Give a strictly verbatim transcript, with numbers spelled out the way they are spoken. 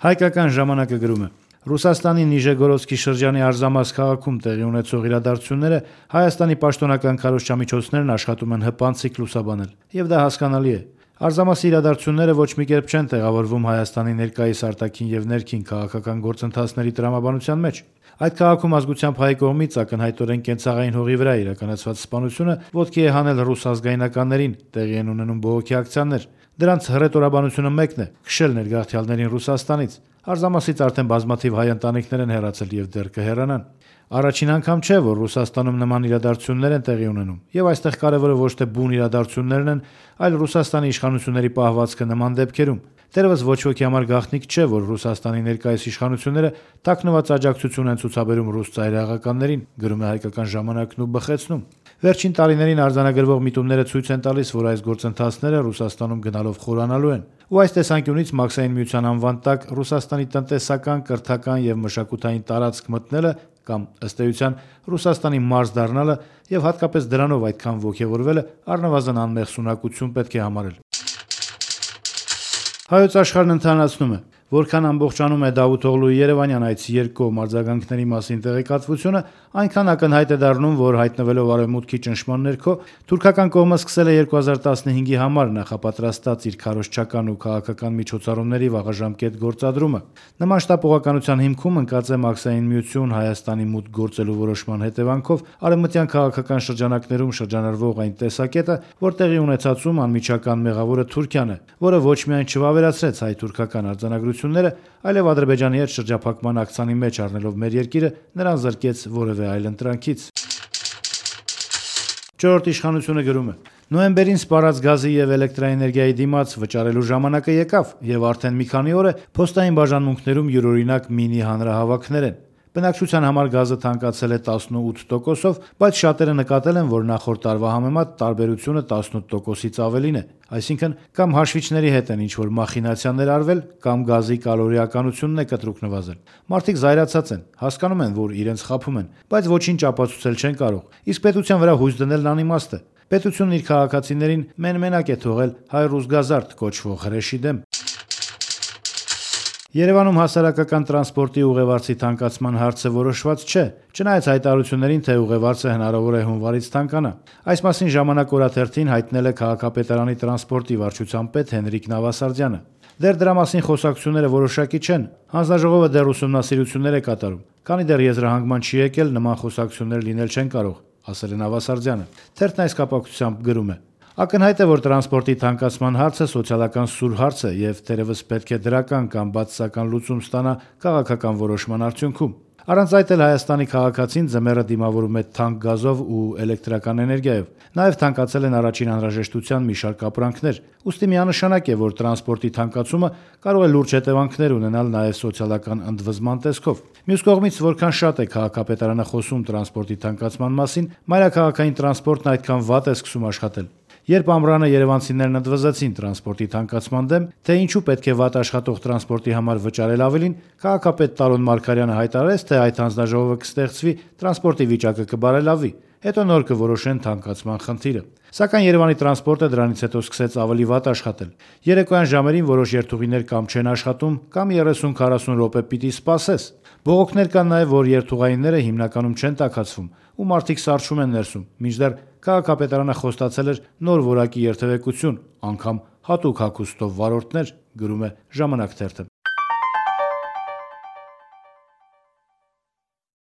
Հայկական ժամանակը գրում է. Ռուսաստանի Նիժեգորոդսկի շրջանի Արզամաս քաղաքում տեղի ունեցող իրադարձությունները Հայաստանի պաշտոնական քարոզչամիջոցներն աշխատում են հպանցիկ լուսաբանել, եւ դա հասկանալի է։ Արզամասի իրադարձությունները ոչ մի կերպ չեն տեղավորվում Հայաստանի ներկայիս արտաքին եւ ներքին քաղաքական գործընթացների տրամաբանության մեջ։ Այդ քաղաքում ազգությամբ հայ կողմից ակնհայտորեն կենցաղային հողի վրա իրականացված սպանությունը ոտքի է հանել ռուս ազգայնականներին, տեղի են ունենում բողոքի ակցիաներ։ Դրանց հռետորաբանությունը մեկն է՝ քշել ներգաղթյալներին Ռուսաստանից։ Արզամասից արդեն բազմաթիվ հայ ընտանիքներ են հեռացել եւ դեռ կհեռանան։ Առաջին անգամ չէ, որ Ռուսաստանում նման իրադարձություններ են տեղի ունենում, եւ այստեղ կարևորը ոչ թե բուն իրադարձություններն են, այլ Ռուսաստանի իշխանությունների պահվածքը նման դեպքերում։ Դեռևս ոչ ոքի համար գաղտնիք չէ, որ Ռուսաստանի ներկայիս իշխանությունները թաքնված աջակցություն են ցուցաբերում ռուս ծայրահեղականներին, գրում է Հայկական ժամանակն ու բխեցնում։ Վերջին տարիներին արձանագրվող միտումները ցույց են տալիս, որ այս գործընթացները Ռուսաստանում գնալով խորանալու են, ու այս տեսանկյունից Մաքսային միության անվան տակ Ռուսաստանի տնտեսական, կրթական եւ մշակութային տարածք մտնելը կամ ըստ էության Ռուսաստանի մարզ դառնալը եւ հատկապես դրանով այդքան ոգևորվելը առնվազն անմեղ սունակություն պետք է համարել։ Հայոց աշխարհն ընթանացնում է. Որքան ամբողջանում է Դավութօղլուի Երևանյան այցի երկկողմ արձագանքների մասին տեղեկատվությունը, այնքան ակնհայտ է դառնում, որ հայտնվելով Արևմուտքի ճնշման ներքո, թուրքական կողմը սկսել է երկու հազար տասնհինգի համար նախապատրաստած իր քարոզչական ու քաղաքական միջոցառումների վաղաժամկետ գործադրումը։ Նման շտապողականության հիմքում ընկած է Մաքսային միություն Հայաստանի մուտք գործելու որոշման հետևանքով արևմտյան քաղաքական շրջանակներում շրջանառվող այն տեսակետը, որ տեղի ունեցածում անմիջական մեղավորը Թուրքիան է, որը ոչ միայն չվավերացրեց հայ-թուրքական արձանագրությունները, այլև Ադրբեջանի հետ շրջափակման ակցանի մեջ առնելով մեր երկիրը, նրան զրկեց որևէ այլ ընտրանքից։ Չորրորդ իշխանությունը գրում է. Նոյեմբերին սպառած գազի եւ էլեկտրաէներգիայի դիմաց վճարելու ժամանակը եկավ, եւ արդեն մի քանի օր է փոստային բաժանմունքներում յուրօրինակ մինի հանրահավաքներ են։ Բնակչության համար գազը թանկացել է տասնութ տոկոսով, բայց շատերը նկատել են, որ նախորդ տարվա համեմատ տարբերությունը տասնութ տոկոսից ավելին է, այսինքն կամ հաշվիչների հետ են ինչ-որ մախինացիաներ արվել, կամ գազի կալորիականությունն է կտրուկ նվազել։ Մարդիկ զայրացած են, հասկանում են, որ իրենց խաբում են, բայց ոչինչ ապացուցել չեն կարող, իսկ պետության վրա հույս դնելն անիմաստ է։ Պետությունն իր քաղաքացիներին մեն-մենակ է թողել հայ-ռուս-գազարդ կոչվող հրեշի դեմ։ Երևանում հասարակական տրանսպորտի ուղևորցի թանկացման հարցը որոշված չէ, չնայած հայտարարություններին, թե ուղևորցը հնարավոր է հունվարից թանկանա։ Այս մասին «Ժամանակ» օրաթերթին հայտնել է քաղաքապետարանի տրանսպորտի վարչության պետ Հենրիկ Նավասարդյանը։ Դեռ դրա մասին խոսակցությունները որոշակի չեն։ Հանձնաժողովը դեռ ուսումնասիրություններ է կատարում, քանի դեռ եզրահանգման չի եկել, նման խոսակցություններ լինել չեն կարող, ասել է Նավասարդյանը։ Թերթն այս կապակցությամբ գրում է. Ակնհայտ է, որ տրանսպորտի թանկացման հարցը սոցիալական սուր հարց է եւ թերևս պետք է դրական կամ բացասական լուծում ստանա քաղաքական որոշման արդյունքում։ Առանց այդ էլ Հայաստանի քաղաքացին ձմեռը դիմավորում է թանկ գազով ու էլեկտրական էներգիայով։ Նաեւ թանկացել են առաջին անհրաժեշտության մի շարք ապրանքներ։ Ուստի միանշանակ է, որ տրանսպորտի թանկացումը կարող է լուրջ հետևանքներ ունենալ նաեւ սոցիալական ընդվզման տեսքով։ Մյուս կողմից, որքան շատ է քաղաքապետարանը խոսում տրանսպորտի թանկացման մասին, մայրաքաղաքային տրանսպորտն այդքան վատ է սկսում աշխատել։ Երբ ամռանը երևանցիներն ընդվզեցին տրանսպորտի թանկացման դեմ, թե ինչու պետք է վատ աշխատող տրանսպորտի համար վճարել ավելին, քաղաքապետ Տարոն Մարգարյանը հայտարարեց, թե այդ հանձնաժողովը կստեղծվի, տրանսպորտի վիճակը կբարելավի, հետո նոր կորոշեն թանկացման խնդիրը։ Սակայն Երևանի տրանսպորտը դրանից հետո սկսեց ավելի վատ աշխատել։ Երեկոյան ժամերին որոշ երթուղիներ կամ չեն աշխատում, կամ երեսուն-քառասուն րոպե պիտի սպասես։ Բողոքներ կան նաև, որ երթուղայինները հիմնականում չեն տաքացվում, ու մարդիկ սառչում են ներսում, մինչդեռ քաղաքապետարանը խոստացել էր նոր որակի երթևեկություն, անգամ հատուկ հագուստով վարորդներ, գրում է «Ժամանակ» թերթը։